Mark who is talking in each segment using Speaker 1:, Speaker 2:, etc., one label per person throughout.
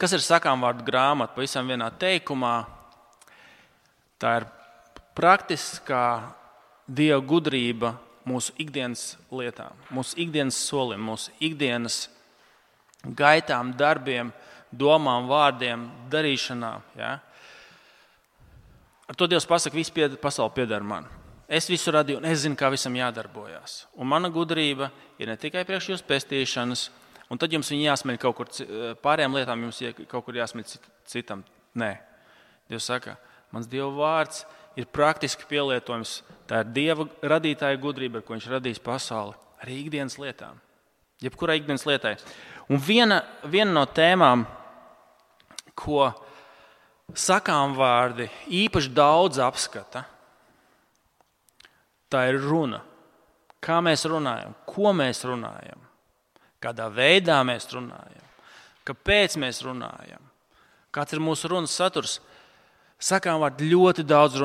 Speaker 1: Kas ir sakāmvārdu grāmata? Pavisam vienā teikumā. Tā ir praktiskā Dieva gudrība mūsu ikdienas lietām, mūsu ikdienas solim, mūsu ikdienas gaitām, darbiem, domām, vārdiem, darīšanām. Ja? Ar to Dievs pasaka, viss pasaule pieder man. Es visu radīju un es zinu, kā visam jādarbojās. Un mana gudrība ir ne tikai priekš jūsu pestīšanas, un tad jums viņi jāsmeļ kaut kur, pārējām lietām jums kaut kur jāsmeļ citam. Nē. Dievs saka, mans Dieva vārds ir praktiski pielietojums. Tā ir Dieva radītāja gudrība, ar ko viņš radīs pasauli. Arī ikdienas lietām. Jebkurai ikdienas lietai. Un viena no tēmām, ko sakāmvārdi īpaši daudz apskata, tā ir runa. Kā mēs runājam, ko mēs runājam, kādā veidā mēs runājam, kāpēc mēs runājam, kāds ir mūsu runas saturs. Sakāmvārdi ļoti daudz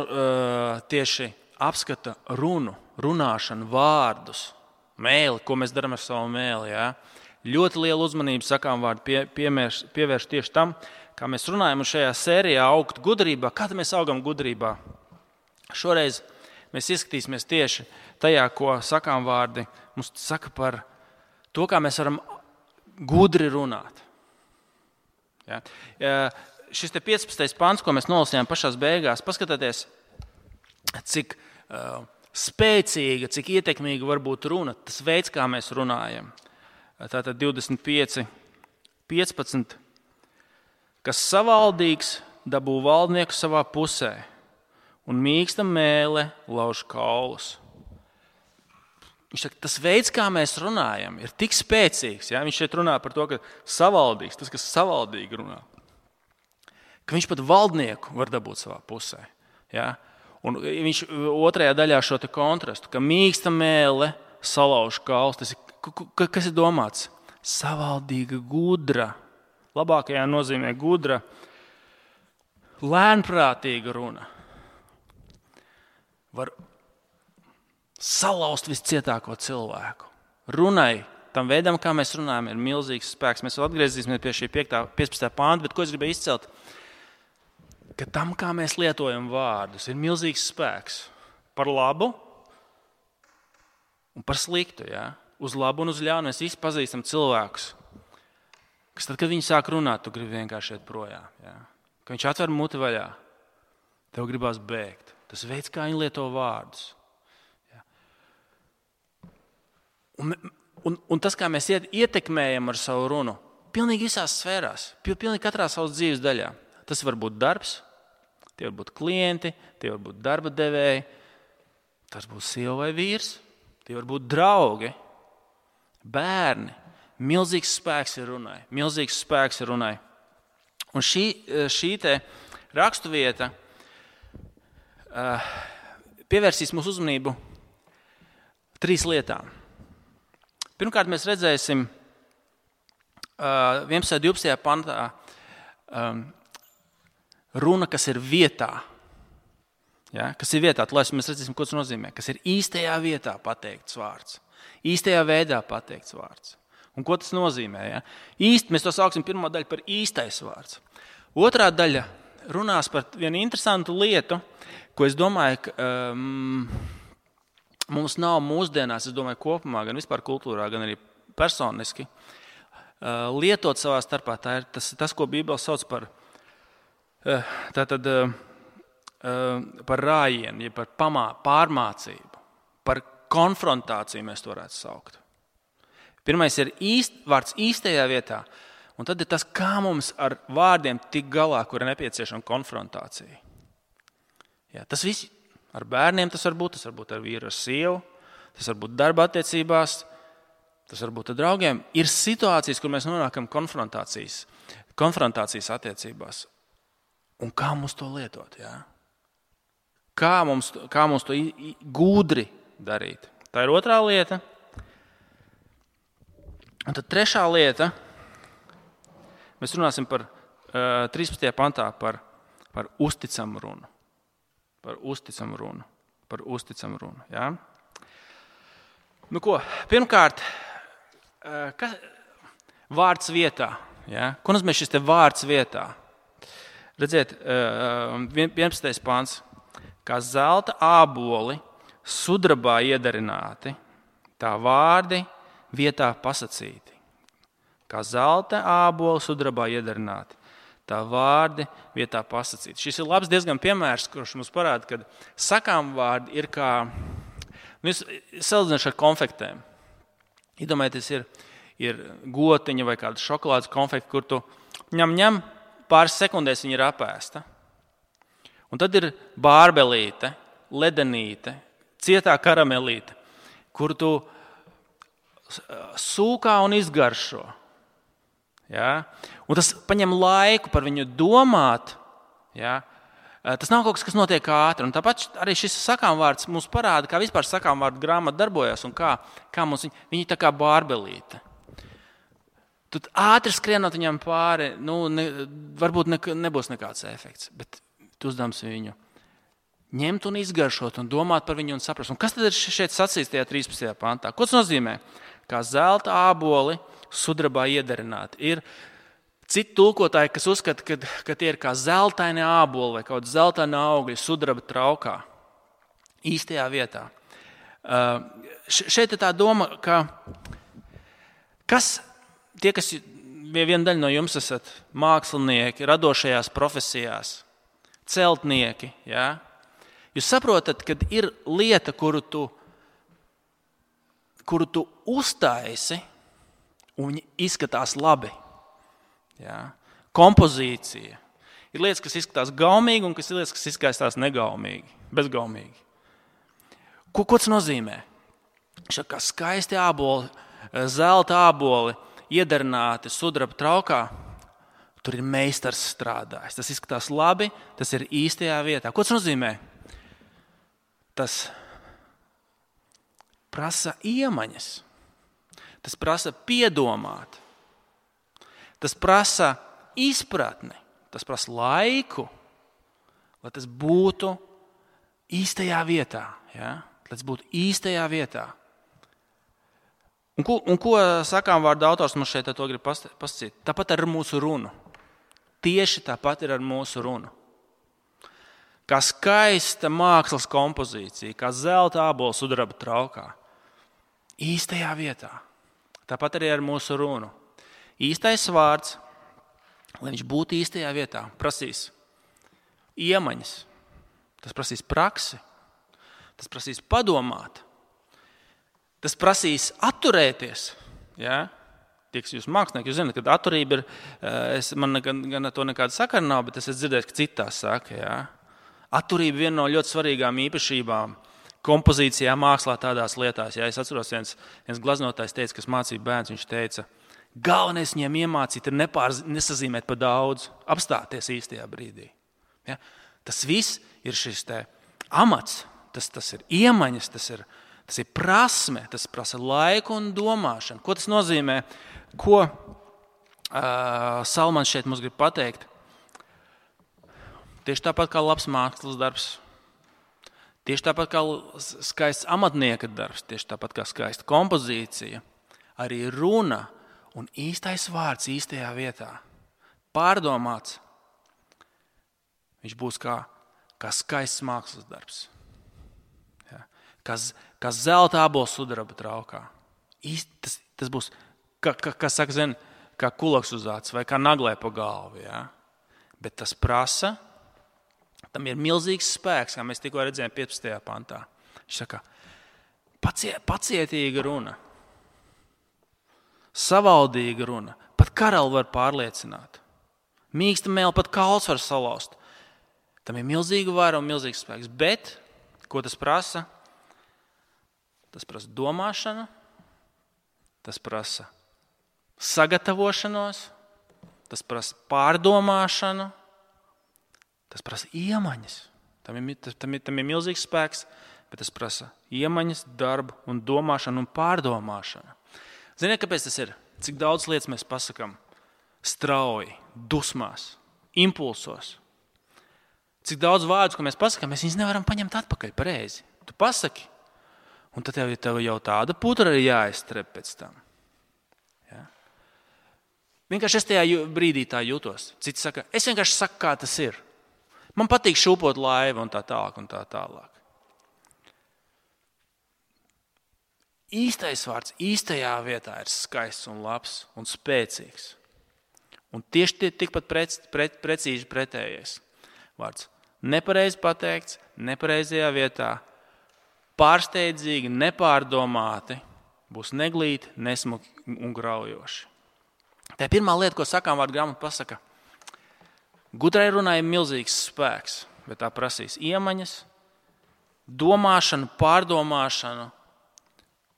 Speaker 1: tieši apskata runu, runāšanu, vārdus, mēli, ko mēs darām ar savu mēli. Ja? Ļoti lielu uzmanību sakāmvārdi pievērš tieši tam, kā mēs runājam un šajā sērijā augt gudrībā. Kā mēs augam gudrībā? Šoreiz mēs ieskatīsimies tieši tajā, ko sakāmvārdi mums saka par to, kā mēs varam gudri runāt. Ja? Šis te 15. pants, ko mēs nolasījām pašās beigās, paskatieties, cik spēcīga, cik ietekmīga var būt runa, tas veids, kā mēs runājam. Tātad 25, 15. Kas savaldīgs, dabū valdnieku savā pusē, un mīksta mēle lauž kaulus. Viņš saka, tas veids, kā mēs runājam, ir tik spēcīgs. Ja? Viņš šeit runā par to, ka savaldīgs, tas, kas savaldīgi runā, ka viņš pat valdnieku var dabūt savā pusē. Ja? Un viņš otrajā daļā šo te kontrastu, ka mīksta mēle salauž kaulus, tas ir, kas ir domāts? Savaldīga, gudra, labākajā nozīmē gudra, lēnprātīga runa. Var salauzt viscietāko cilvēku. Runai, tam veidam, kā mēs runājam, ir milzīgs spēks. Mēs vēl atgriezīsimies pie šī 15. pānta, bet ko es gribēju izcelt? Ka tam, kā mēs lietojam vārdus, ir milzīgs spēks. Par labu un par sliktu. Ja? Uz labu un uz ļaunu. Mēs visi pazīstam cilvēkus, kas tad, kad viņi sāk runāt, tu gribi vienkārši iet projām. Ja? Kad viņš atver muti vaļā, tev gribās bēgt. Tas veids, kā viņi lieto vārdus. Ja? Un tas, kā mēs ietekmējam ar savu runu, pilnīgi visās sfērās, pilnīgi katrā savas dzīves daļā. Tas var būt darbs, tie var būt klienti, tie var būt darba devēji, tas būs sieva vai vīrs, tie var būt draugi, bērni. Milzīgs spēks ir runai. Milzīgs spēks ir runai. Un šī te raksturvieta pievērsīs mūsu uzmanību 3 lietām. Pirmkārt, mēs redzēsim 11. 12. pantā runa, kas ir vietā. Ja? Kas ir vietā, lai mēs redzēsim, ko tas nozīmē. Kas ir īstajā vietā pateikts vārds. Īstajā veidā pateikts vārds. Un ko tas nozīmē? Ja? Īsti, mēs to sauksim pirmo daļu par īstais vārds. Otrā daļa runās par vienu interesantu lietu, ko es domāju, ka mums nav mūsdienās, es domāju, kopumā, gan vispār kultūrā, gan arī personiski, lietot savā starpā. Tā ir tas, ko Bībele sauc par par rājienu, ja par pārmācību, par konfrontāciju mēs to varētu saukt. Pirmais ir vārds īstajā vietā, un tad ir tas, kā mums ar vārdiem tik galā, kur ir nepieciešama konfrontācija. Ja, tas viss ar bērniem tas var būt ar vīru, ar sievu, tas var būt darba attiecībās, tas var būt ar draugiem. Ir situācijas, kur mēs nonākam konfrontācijas attiecībās. Un kā mums to lietot? Ja? Kā mums to gudri darīt? Tā ir otrā lieta. Un tad trešā lieta, mēs runāsim par 13. pantā par uzticamu runu. Par uzticamu runu. Ja? Nu ko, pirmkārt, vārds vietā. Ja? Ko nozīmē šis te vārds vietā? Redziet, 11. pants. Kā zelta āboli sudrabā iedarināti, tā vārdi vietā pasacīti. Kā zelta āboli sudrabā iedarināti, tā vārdi vietā pasacīti. Šis ir labs diezgan piemērs, kurš mums parāda, ka sakām vārdi ir kā, salīdzinoši ar konfektēm. Iedomājieties, ir gotiņa vai kāda šokolādes konfekta, kur tu ņem, pāris sekundēs viņa ir apēsta. Un tad ir bārbelīte, ledenīte, cietā karamelīte, kur tu sūkā un izgaršo. Ja? Un tas paņem laiku par viņu domāt. Ja? Tas nav kaut kas, kas notiek ātri. Un tāpat arī šis sakāmvārds mums parāda, kā vispār sakāmvārdu grāmata darbojas un kā mums viņi tā kā bārbelīte. Tu ātri skrienot viņam pāri, varbūt nebūs nekāds efekts, bet tu uzdevums viņu ņemt un izgaršot un domāt par viņu un saprast. Un kas tad ir šeit sacīts tajā 13. pantā? Ko tas nozīmē? Kā zelta āboli sudrabā iedarināti. Ir citi tulkotāji, kas uzskata, ka tie ir kā zeltaini āboli vai kaut zeltaini augļi sudraba traukā. Īstajā vietā. Šeit ir tā doma, ka tie, kas viena daļa no jums esat mākslinieki, radošajās profesijās, celtnieki, ja? Jūs saprotat, ka ir lieta, kuru tu uztaisi, un viņi izskatās labi. Ja? Kompozīcija. Ir lietas, kas izskatās gaumīgi, un ir lietas, kas izskatās negaumīgi, bezgaumīgi. Ko tas nozīmē? Šeit kā skaisti āboli, zelta āboli, iedarināti sudraba traukā, tur ir meistars strādājis. Tas izskatās labi, tas ir īstajā vietā. Ko tas nozīmē? Tas prasa iemaņas. Tas prasa piedomāt. Tas prasa izpratni. Tas prasa laiku, lai tas būtu īstajā vietā. Ja? Lai tas būtu īstajā vietā. Un ko sakām vārdu autors mums šeit to grib pasakīt? Tāpat ar mūsu runu. Tieši tāpat ir ar mūsu runu. Kā skaista mākslas kompozīcija, kā zelta ābols sudraba traukā. Īstajā vietā. Tāpat arī ar mūsu runu. Īstais vārds, lai viņš būtu īstajā vietā, prasīs iemaņas. Tas prasīs praksi. Tas prasīs padomāt. Tas prasīs atturēties. Ja? Tie, kas jūs mākslinieki, jūs zināt, ka atturība ir, man gan to nekāda sakara nav, bet es esmu dzirdējis, ka citās saka. Ja? Atturība viena no ļoti svarīgām īpašībām kompozīcijā, mākslā, tādās lietās. Ja? Es atceros, viens glaznotājs teica, kas mācīja bērns, viņš teica, galvenais viņiem iemācīt ir nesazīmēt pa daudz, apstāties īstajā brīdī. Ja? Tas viss ir šis te amats, tas ir iemaņas, tas ir prasme, tas prasa laiku un domāšanu. Ko tas nozīmē? Ko Salmans šeit mums grib pateikt? Tieši tāpat kā labs mākslas darbs. Tieši tāpat kā skaists amatnieka darbs. Tieši tāpat kā skaista kompozīcija. Arī runa un īstais vārds īstajā vietā. Pārdomāts. Viņš būs kā skaists mākslas darbs. Kā zelta ābols sudraba traukā. Tas būs, kā saka, kā kulaks uz acis vai kā naglē pa galvu. Ja? Bet tas prasa, tam ir milzīgs spēks, kā mēs tikko redzējām 15. pantā. Viņš saka, pacietīga runa, savaldīga runa, pat karali var pārliecināt. Mīksta mēle pat kauls var salauzt. Tam ir milzīga vara un milzīgs spēks. Bet, ko tas prasa? Tas prasa domāšanu, tas prasa sagatavošanos, tas prasa pārdomāšanu, tas prasa iemaņas. Tam ir milzīgs spēks, bet tas prasa iemaņas, darbu un domāšanu un pārdomāšanu. Ziniet, kāpēc tas ir? Cik daudz lietas mēs pasakām strauji, dusmās, impulsos. Cik daudz vārdus, ko mēs pasakām, mēs viņus nevaram paņemt atpakaļ pareizi. Tu pasaki. Un tad tev jau tāda putra ir jāizstrep pēc tam. Ja? Vienkārši es tajā brīdī tā jūtos. Citi saka, es vienkārši saku, kā tas ir. Man patīk šūpot laivu un tā tālāk un tā tālāk. Īstais vārds īstajā vietā ir skaists un labs un spēcīgs. Un tieši tikpat precīzi pretējais vārds. Nepareizi pateikts, nepareizajā vietā, pārsteidzīgi, nepārdomāti, būs neglīti, nesmuki un graujoši. Tā ir pirmā lieta, ko sakām vārdu grāmata pasaka. Gudrai runai ir milzīgs spēks, bet tā prasīs iemaņas, domāšanu, pārdomāšanu,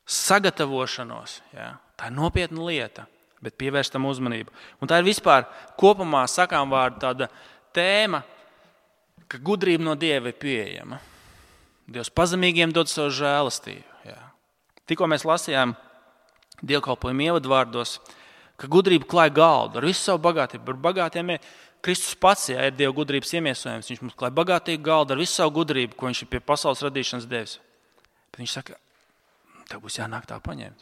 Speaker 1: sagatavošanos. Ja? Tā ir nopietna lieta, bet pievērst tam uzmanību. Un tā ir vispār kopumā sakām vārdu tāda tēma, ka gudrība no Dieva ir pieejama. Dievs pazemīgiem dod savu žēlastību. Ja? Tikko mēs lasījām dievkalpojumu ievadvārdos, ka gudrība klāj galdu ar visu savu bagātību. Ar bagātiem Kristus pats ir Dieva gudrības iemiesojums. Viņš mums klāj bagātīgu galdu ar visu savu gudrību, ko viņš ir pie pasaules radīšanas devis. Bet viņš saka, tev būs jānāk tā paņemt.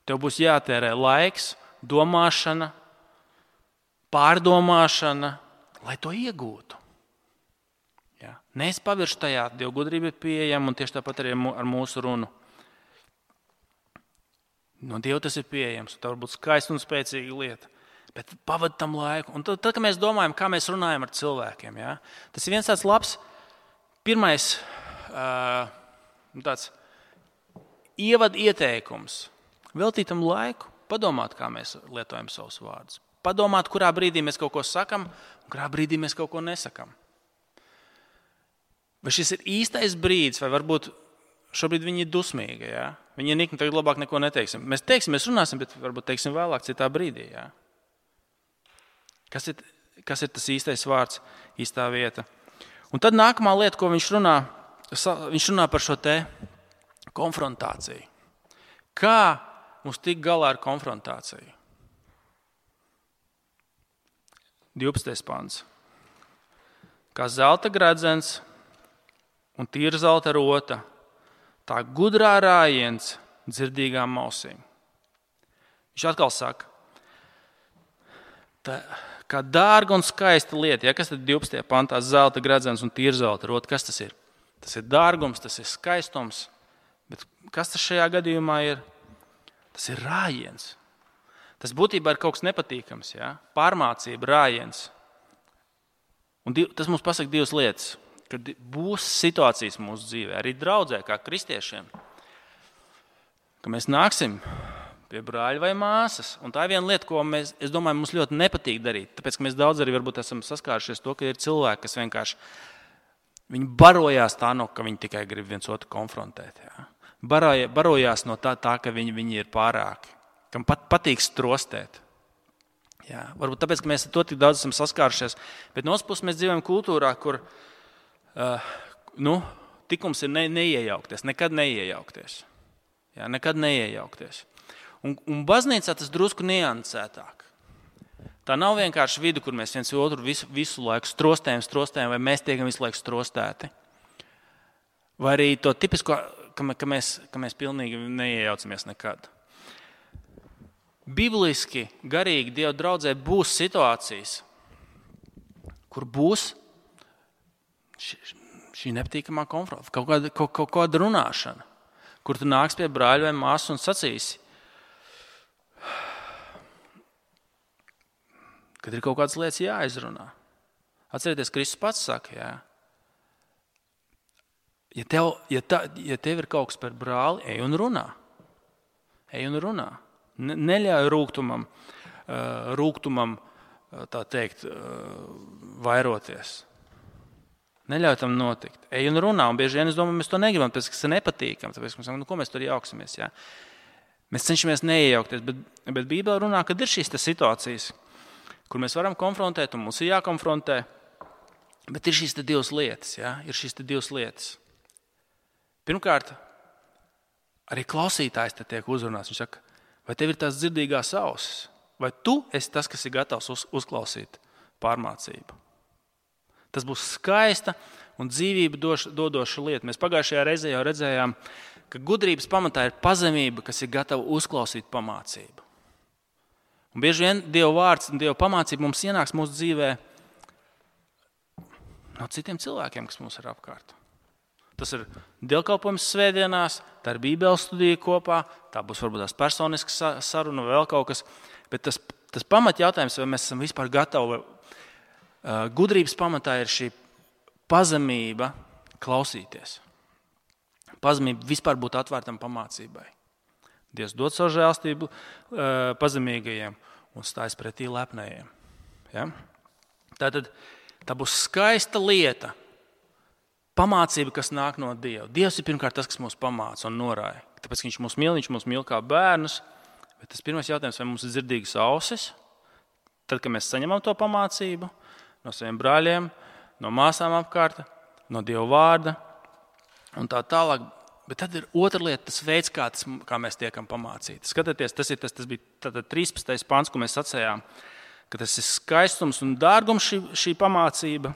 Speaker 1: Tev būs jātērē laiks, domāšana, pārdomāšana, lai to iegūtu. Ja? Neesi pavirši tajā, Dieva gudrība ir pieejama un tieši tāpat arī ar mūsu runu. No Dieva tas ir pieejams, tā var būt skaista un spēcīga lieta. Bet pavadi tam laiku. Un tad, kad mēs domājam, kā mēs runājam ar cilvēkiem, ja? Tas ir viens tāds labs, pirmais tāds ievad ieteikums. Veltīt tam laiku, padomāt, kā mēs lietojam savus vārdus. Padomāt, kurā brīdī mēs kaut ko sakam, un kurā brīdī mēs kaut ko nesakam. Vai šis ir īstais brīdis, vai varbūt šobrīd viņi ir dusmīgi, ja? Viņi ir nikni, tagad labāk neko neteiksim. Mēs teiksim, mēs runāsim, bet varbūt teiksim vēlāk citā brīdī, ja? Kas ir tas īstais vārds, īstā vieta? Un tad nākamā lieta, ko viņš runā par šo te konfrontāciju. Kā mums tik galā ar konfrontāciju? 12. pants. Kā zelta gredzens un tīra zelta rota, tā gudrā rājiens dzirdīgām ausīm. Viņš atkal saka, tā, kā dārga un skaista lieta, ja, kas tad 12. pantā zelta gredzens un tīra zelta rota, kas tas ir? Tas ir dārgums, tas ir skaistums, bet kas tas šajā gadījumā ir? Tas ir rājiens. Tas būtībā ir kaut kas nepatīkams, ja? Pārmācība, rājiens. Un tas mums pasaka divas lietas, kad būs situācijas mūsu dzīvē, arī draudzē, kā kristiešiem, ka mēs nāksim pie brāļa vai māsas. Un tā ir viena lieta, ko es domāju, mums ļoti nepatīk darīt, tāpēc, ka mēs daudz arī varbūt esam saskārušies to, ka ir cilvēki, kas vienkārši viņi barojās tā, ka viņi tikai grib viens otru konfrontēt. Ja? Barojās no tā, ka viņi ir pārāki. Kam patīk strostēt. Jā, varbūt tāpēc, ka mēs ar to tik daudz esam saskārušies, bet no otras puses mēs dzīvojam kultūrā, kur tikums ir neiejaukties, nekad neiejaukties. Jā, nekad neiejaukties. Un baznīcā tas drusku niansētāk. Tā nav vienkārši vide, kur mēs viens otru visu laiku strostējam, vai mēs tiekam visu laiku strostēti. Vai arī to tipisko, ka mēs pilnīgi neiejaucamies nekad. Bibliski, garīgi Dieva draudzē būs situācijas, kur būs šī nepatīkamā konfrontācija, kaut kāda runāšana, kur tu nāks pie brāļa vai māsas un sacīsi, kad ir kaut kādas lietas jāizrunā. Atcerieties, Kristus pats saka, jā. Ja tev ir kaut kas par brāli, ej un runā. Ej un runā. Neļauj rūgtumam tā teikt, vairoties. Neļauj tam notikt. Ej un runā, un bieži vien es domāju, mēs to negribam, tāpēc, ka tas ir nepatīkam, tāpēc, ka ko mēs tur jauksimies. Ja? Mēs cenšamies neiejaukties, bet Bībelē runā, kad ir šīs situācijas, kur mēs varam konfrontēt, un mums ir jākonfrontē, bet ir šīs divas lietas. Ja? Ir šīs divas lietas. Pirmkārt, arī klausītājs te tiek uzrunāts. Viņš saka, vai tev ir tās dzirdīgās ausis? Vai tu esi tas, kas ir gatavs uzklausīt pārmācību? Tas būs skaista un dzīvību dodoša lieta. Mēs pagājušajā reizē jau redzējām, ka gudrības pamatā ir pazemība, kas ir gatava uzklausīt pamācību. Un bieži vien Dieva vārds un Dieva pamācība mums ienāks mūsu dzīvē no citiem cilvēkiem, kas mums ir apkārt. Tas ir dievkalpojums svētdienās, tā ir Bībeles studija kopā, tā būs varbūt tās personiskas saruna vai vēl kaut kas, bet tas pamatjautājums, vai mēs esam vispār gatavi, gudrības pamatā ir šī pazemība klausīties. Pazemība vispār būt atvērtam pamācībai. Dievs dod savu žēlstību pazemīgajiem un stājas pretī lepnējiem. Ja? Tātad tā būs skaista lieta, pamācība, kas nāk no Dieva. Dievs ir pirmkārt tas, kas mūs pamāca un norāja. Tāpēc, ka viņš mūs mīl kā bērnus, bet tas pirmais jautājums, vai mums ir dzirdīgas ausis, tad, kad mēs saņemam to pamācību no saviem brāļiem, no māsām apkārt, no Dieva vārda un tā tālāk. Bet tad ir otra lieta, tas veids, kā mēs tiekam pamācīti. Skatieties, tas bija 13. pants, ko mēs sacējām, ka tas ir skaistums un dārgums šī pamācība.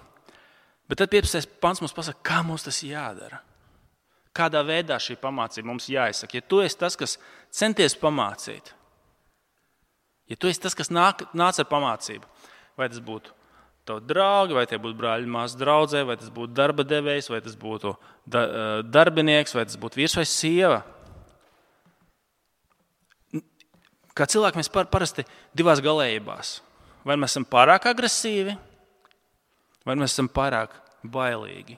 Speaker 1: Bet tad 15. pants mums pasaka, kā mums tas jādara. Kādā veidā šī pamācība mums jāizsaka. Ja tu esi tas, kas centies pamācīt, ja tu esi tas, kas nāc ar pamācību, vai tas būtu tavi draugi, vai tie būtu brāļi, māsas draudzē, vai tas būtu darba devējs, vai tas būtu darbinieks, vai tas būtu vīrs vai sieva. Kā cilvēki mēs parasti divās galējībās. Vai mēs esam pārāk agresīvi, vai mēs esam pārāk bailīgi.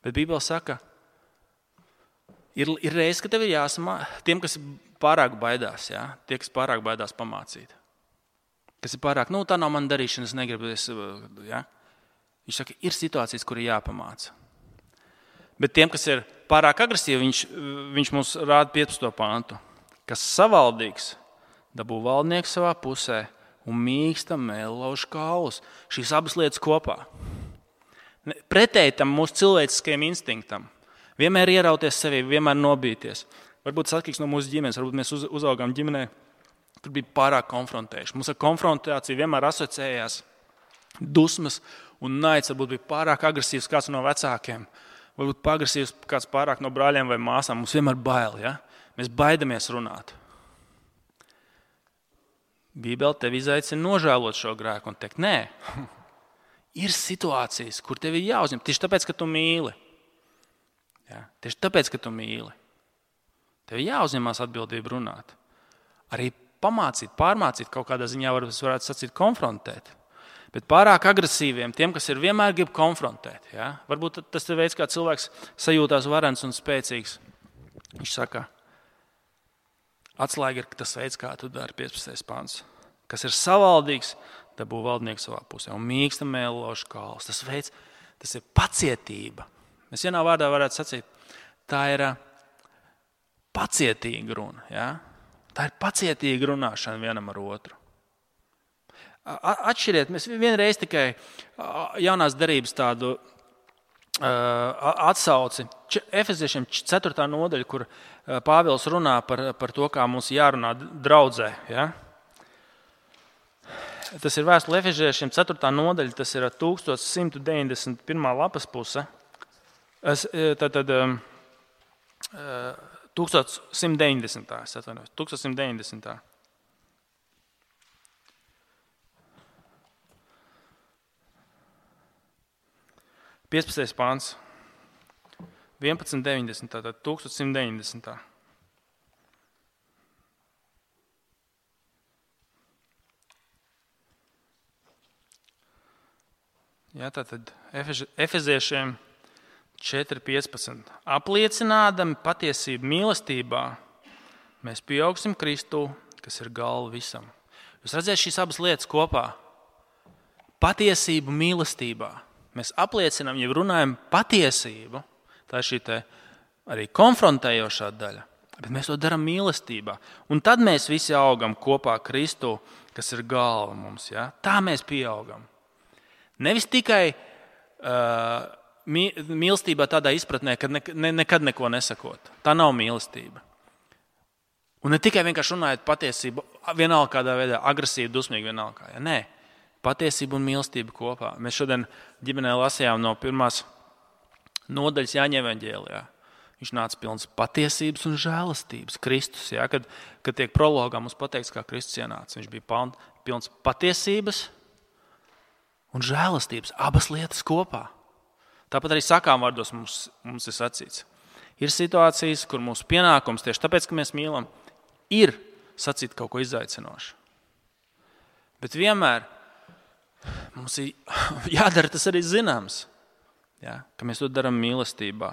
Speaker 1: Bet Bībele saka, ir reize, ka tev ir jāsamā tiem, kas pārāk baidās, ja? Tie, kas pārāk baidās pamācīt. Kas ir pārāk, tā nav man darīšana, es negribu. Ja? Viņš saka, ir situācijas, kur ir jāpamāca. Bet tiem, kas ir pārāk agresīvi, viņš mums rāda 15. pantu. Kas savaldīgs, dabū valdnieks savā pusē un mīksta mēlauž kaulus. Šīs abas lietas kopā. Pretēji tam mūsu cilvēciskajam instinktam. Vienmēr ierauties sevī, vienmēr nobīties. Varbūt tas atkarīgs no mūsu ģimenes, varbūt mēs uzaugām ģimenē, tur bija pārāk konfrontējuši. Mums ar konfrontāciju vienmēr asociējās dusmas un naids. Varbūt bija pārāk agresīvs kāds no vecākiem. Varbūt agresīvs kāds pārāk no brāļiem vai māsām. Mums vienmēr bail, ja? Mēs baidamies runāt. Bībele tevi izaicina nožēlot šo grēku un teikt, nē, ir situācijas, kur tev ir jāuzņem. Tieši tāpēc, ka tu mīli. Ja? Tieši tāpēc, ka tu mīli. Tev ir jāuzņemās atbildību runāt. Arī pamācīt, pārmācīt kaut kādā ziņā, varētu sacīt, konfrontēt. Bet pārāk agresīviem, tiem, kas ir vienmēr grib konfrontēt. Ja? Varbūt tas ir veids, kā cilvēks sajūtās varens un spēcīgs. Viņš saka, atslēga ir tas veids, kā tu dari 15. pants. Kas ir savaldīgs, dabū valdnieks savā pusē un mīksta mēlož kaulus. Tas veids, tas ir pacietība. Mēs vienā vārdā varētu sacīt, tā ir pacietīga runa. Ja? Tā ir pacietīga runāšana vienam ar otru. Atšķiriet, mēs vienreiz tikai jaunās derības tādu atsauci. Efeziešiem 4. nodaļa, kur Pāvils runā par to, kā mums jārunā draudzē. Ja? Tas ir vēstule Efeziešiem 4. nodaļa, tas ir 1191. lapas puse. 1190. 15. pāns, 1190, tātad 1190. Jā, tātad Efeziešiem 4.15. Apliecinādami patiesību mīlestībā, mēs pieaugsim Kristū, kas ir galva visam. Jūs redzēt šīs abas lietas kopā. Patiesību mīlestībā. Mēs apliecinām, ja runājam patiesību, tā ir šī arī konfrontējošā daļa, bet mēs to darām mīlestībā. Un tad mēs visi augam kopā Kristū, kas ir galva mums. Ja? Tā mēs pieaugam. Nevis tikai mīlestībā tādā izpratnē, ka nekad neko nesakot. Tā nav mīlestība. Un ne tikai vienkārši runājot patiesību, vienalga kādā veidā, agresīvi, dusmīgi vienalga. Ja? Nē. Patiesība un mīlestība kopā. Mēs šodien ģimenē lasījām no 1. nodaļas Jāņa evaņģēlijā. Viņš nāca pilns patiesības un žēlastības. Kristus, ja, kad tiek prologā mums pateikts, kā Kristus ienāca. Viņš bija pilns patiesības un žēlastības. Abas lietas kopā. Tāpat arī sakām vārdos mums ir sacīts. Ir situācijas, kur mūsu pienākums tieši tāpēc, ka mēs mīlam, ir sacīt kaut ko izaicinošu. Bet vienmēr mums ir jādara tas arī zināms, ja, ka mēs to darām mīlestībā.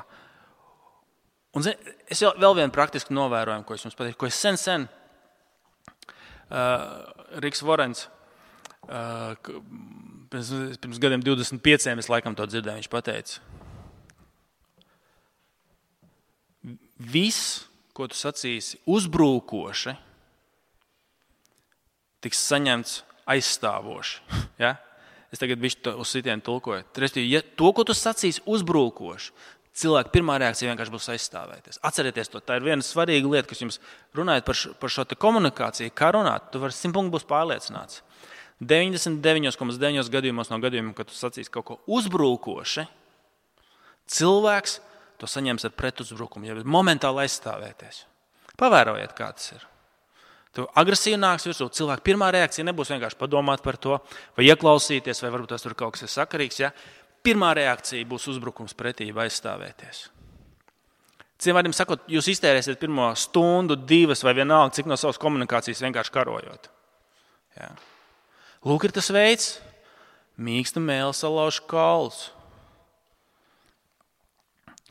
Speaker 1: Un es vēl vienu praktisku novērojumu, ko es jums pateiktu, ko es sen Riks Vorens, pirms gadiem 25 es laikam to dzirdēju, viņš pateica. Viss, ko tu sacīsi uzbrūkoši, tiks saņemts aizstāvoši. Ja? Es tagad bišķi uz sitienu tulkoju. Ja to, ko tu sacīsi uzbrūkoši, cilvēka pirmā reakcija vienkārši būs aizstāvēties. Atcerieties to, tā ir viena svarīga lieta, kas jums runājot par šo komunikāciju, kā runāt, tu vari 100% būs pārliecināts. 99,9 gadījumos no gadījumiem, kad tu sacīsi kaut ko uzbrūkoši, cilvēks to saņems ar pretuzbrukumu, ja momentāli aizstāvēties. Pavērojiet, kā tas ir. Tu agresīvi nāks virsū, cilvēka pirmā reakcija nebūs vienkārši padomāt par to, vai ieklausīties, vai varbūt tas tur kaut kas ir sakarīgs, ja? Pirmā reakcija būs uzbrukums pretī vai aizstāvēties. Citiem vārdiem sakot, jūs iztērēsiet pirmo stundu, 2 vai vienalga, cik no savas komunikācijas vienkārši karojot. Ja. Lūk, ir tas veids, mīksta mēle salauž kaulus.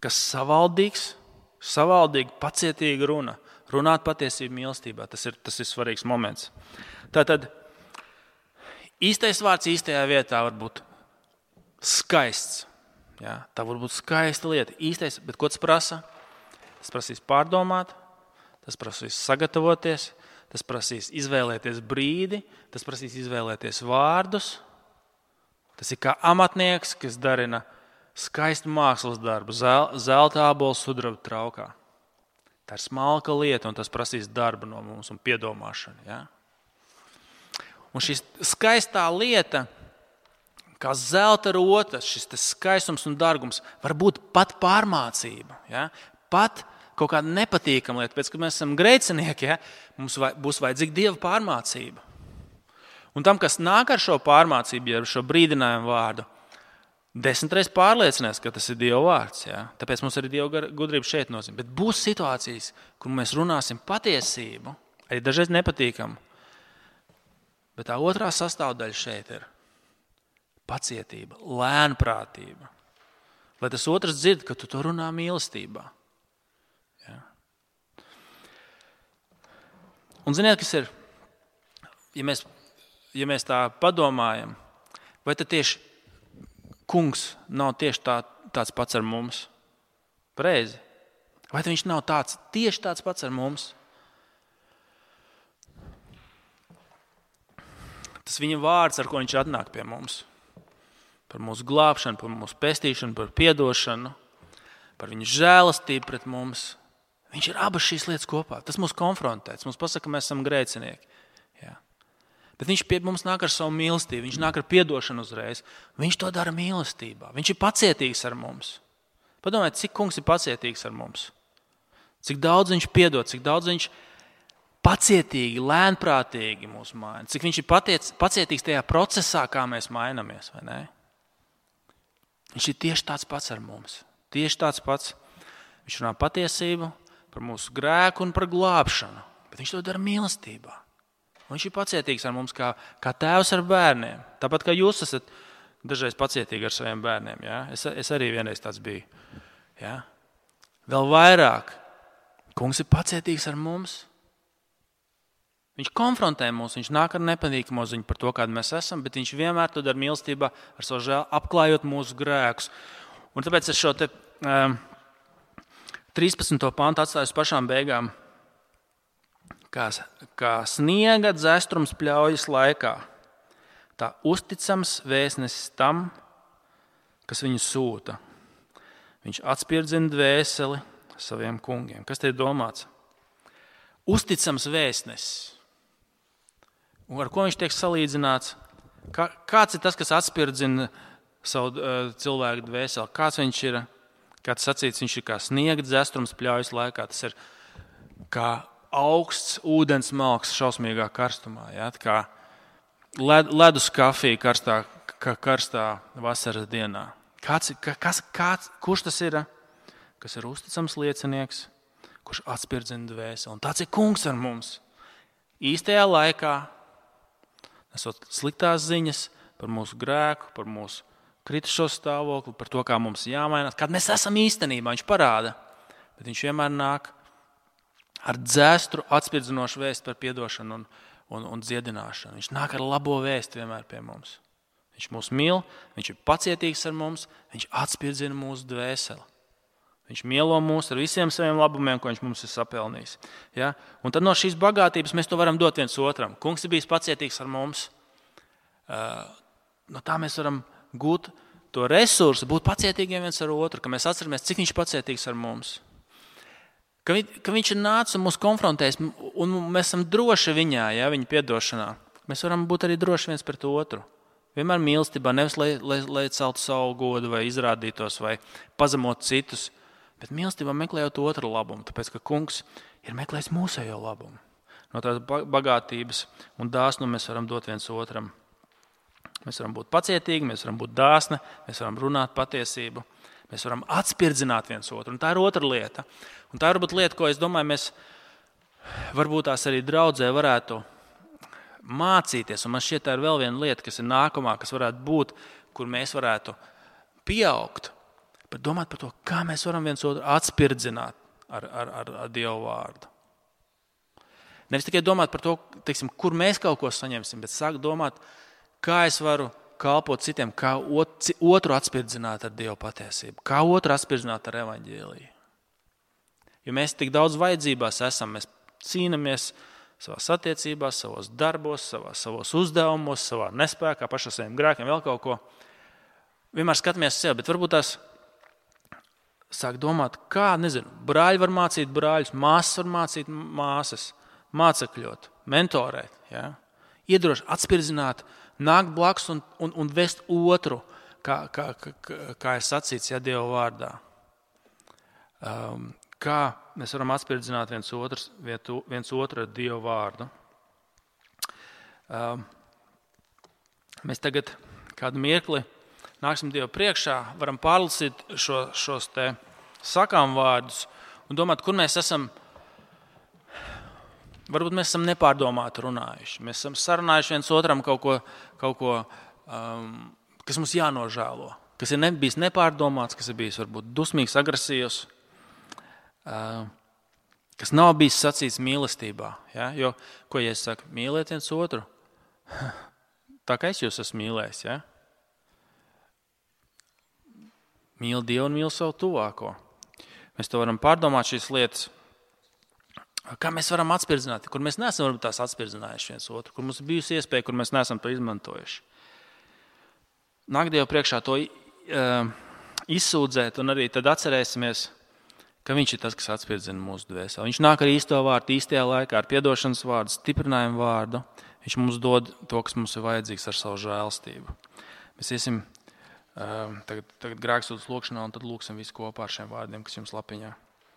Speaker 1: Kas savaldīgi, pacietīgi runa. Runāt patiesību mīlestībā, tas ir svarīgs moments. Tātad īstais vārds īstajā vietā var būt skaists. Ja? Tā var būt skaista lieta. Īstais, bet ko tas prasa? Tas prasīs pārdomāt, tas prasīs sagatavoties, tas prasīs izvēlēties brīdi, tas prasīs izvēlēties vārdus. Tas ir kā amatnieks, kas darina skaistu mākslas darbu, zelta ābolu sudraba traukā. Tā ir smalka lieta, un tas prasīs darbu no mums un piedomāšanu. Ja? Un šī skaistā lieta, kā zelta rotas, šis skaistums un dārgums, var būt pat pārmācība. Ja? Pat kaut kāda nepatīkama lieta, pēc, kad mēs esam grēcinieki, ja? Mums būs vajadzīga Dieva pārmācība. Un tam, kas nāk ar šo pārmācību, ar šo brīdinājumu vārdu, 10 reizes pārliecinās, ka tas ir Dieva vārds. Ja? Tāpēc mums arī Dieva gudrība šeit nozīmē. Bet būs situācijas, kur mēs runāsim patiesību, arī dažreiz nepatīkamu. Bet tā otrā sastāvdaļa šeit ir pacietība, lēnprātība. Lai tas otrs dzird, ka tu to runā mīlestībā. Ja? Un ziniet, kas ir? Ja mēs tā padomājam, vai tad tieši Kungs nav tieši tāds pats ar mums? Pareizi. Vai viņš nav tieši tāds pats ar mums? Tas viņa vārds, ar ko viņš atnāk pie mums. Par mūsu glābšanu, par mūsu pestīšanu, par piedošanu, par viņa žēlastību pret mums. Viņš ir abas šīs lietas kopā. Tas mūs konfrontē. Mums pasaka, ka mēs esam grēcinieki. Jā. Bet viņš pie mums nāk ar savu mīlestību, viņš nāk ar piedošanu uzreiz. Viņš to dara mīlestībā. Viņš ir pacietīgs ar mums. Padomājiet, cik Kungs ir pacietīgs ar mums. Cik daudz viņš piedod, cik daudz viņš pacietīgi, lēnprātīgi mūs maina. Cik viņš ir pacietīgs tajā procesā, kā mēs mainamies, vai ne? Viņš ir tieši tāds pats ar mums. Tieši tāds pats. Viņš runā patiesību par mūsu grēku un par glābšanu. Bet viņš to dara mīlestībā. Viņš ir pacietīgs ar mums kā tēvs ar bērniem. Tāpat kā jūs esat dažreiz pacietīgi ar saviem bērniem. Ja? Es arī vienreiz tāds biju. Ja? Vēl vairāk. Kungs ir pacietīgs ar mums. Viņš konfrontē mūs, viņš nāk ar nepatīkamu ziņu par to, kāda mēs esam, bet viņš vienmēr to dara mīlestībā ar savu žēlu, apklājot mūsu grēkus. Un tāpēc es šo 13. pantu atstāju uz pašām beigām. Kā sniega dzestrums pļaujas laikā, tā uzticams vēstnesis tam, kas viņu sūta. Viņš atspirdzina dvēseli saviem kungiem. Kas te ir domāts? Uzticams vēstnesis. Un ar ko viņš tiek salīdzināts? Kāds ir tas, kas atspirdzina savu cilvēku dvēseli? Kāds viņš ir? Kā tas sacīts, viņš ir kā sniega dzestrums pļaujas laikā. Tas ir kā augsts ūdens malks šausmīgā karstumā. Ja? Kā ledus kafija karstā vasaras dienā. Kurš tas ir? Kas ir uzticams liecinieks, kurš atspirdzina dvēseli. Un tāds ir kungs ar mums. Īstajā laikā, nesot sliktās ziņas par mūsu grēku, par mūsu kritušo stāvokli, par to, kā mums jāmainās. Kad mēs esam īstenībā, viņš parāda, bet viņš vienmēr nāk ar dzēstru atspirdzinošu vēstu par piedošanu un dziedināšanu. Viņš nāk ar labo vēstu vienmēr pie mums. Viņš mūs mīl, viņš ir pacietīgs ar mums, viņš atspirdzina mūsu dvēseli. Viņš mielo mūs ar visiem saviem labumiem, ko viņš mums ir sapelnījis. Ja? Un tad no šīs bagātības mēs to varam dot viens otram. Kungs ir bijis pacietīgs ar mums. No tā mēs varam gūt to resursu, būt pacietīgiem viens ar otru, ka mēs atceramies, cik viņš ir pacietīgs ar mums. Ka viņš ir nācis un mūs konfrontējis, un mēs esam droši viņā, ja, viņa piedošanā. Mēs varam būt arī droši viens pret otru. Vienmēr mīlestībā, nevis lai celtu savu godu vai izrādītos vai pazemot citus, bet mīlestībā meklējot otru labumu, tāpēc, ka kungs ir meklējis mūsējo labumu. No tās bagātības un dāsnu mēs varam dot viens otram. Mēs varam būt pacietīgi, mēs varam būt dāsni, mēs varam runāt patiesību, mēs varam atspirdzināt viens otru. Un tā ir otra lieta. Un tā ir varbūt lieta, ko es domāju, mēs varbūt tās arī draudzē varētu mācīties. Un man šķiet, tā ir vēl viena lieta, kas ir nākamā, kas varētu būt, kur mēs varētu pieaugt. Bet domāt par to, kā mēs varam viens otru atspirdzināt ar Dievu vārdu. Nevis tikai domāt par to, teiksim, kur mēs kaut ko saņemsim, bet sāk domāt, kā es varu kalpot citiem, kā otru atspirdzināt ar Dievu patiesību, kā otru atspirdzināt ar evaņģēliju. Jo mēs tik daudz vajadzībās esam, mēs cīnamies savās attiecībās, savos darbos, savos uzdevumos, savā nespēkā, pašā saviem grēkiem, vēl kaut ko. Vienmēr skatāmies sev, bet varbūt tās sāk domāt, kā, brāļi var mācīt brāļus, māsas var mācīt māsas, mācekļot, mentorēt, ja? Iedrošināt, atspirdzināt, nākt blakus un vest otru, kā ir sacīts, ja, Dieva vārdā. Kā mēs varam atspirdzināt viens otru ar Dievu vārdu. Mēs tagad kādu mirkli nāksim Dievu priekšā, varam pārlasīt šos te sakām vārdus un domāt, kur mēs esam. Varbūt mēs esam nepārdomāti runājuši. Mēs esam sarunājuši viens otram kaut ko kas mums jānožēlo, kas ir bijis nepārdomāts, kas ir bijis varbūt dusmīgs, agresīvs, kas nav bijis sacīts mīlestībā. Ja? Jo, ko ja es saku, mīliet viens otru, tā kā es jūs esmu mīlējis. Ja? Mīli Dievu un mīli savu tuvāko. Mēs to varam pārdomāt šīs lietas. Kā mēs varam atspirdzināt, kur mēs neesam varbūt tās atspirdzinājuši viens otru, kur mums ir bijusi iespēja, kur mēs neesam to izmantojuši. Nāk Dievu priekšā to izsūdzēt un arī tad atcerēsimies, ka viņš ir tas, kas atspirdzina mūsu dvēseli. Viņš nāk ar īsto vārdu, īstajā laikā, ar piedošanas vārdu, stiprinājumu vārdu. Viņš mums dod to, kas mums ir vajadzīgs ar savu žēlstību. Mēs iesim tagad grēksūdzes lūkšanā un tad lūksim visu kopā ar šiem vārdiem, kas jums lapiņā.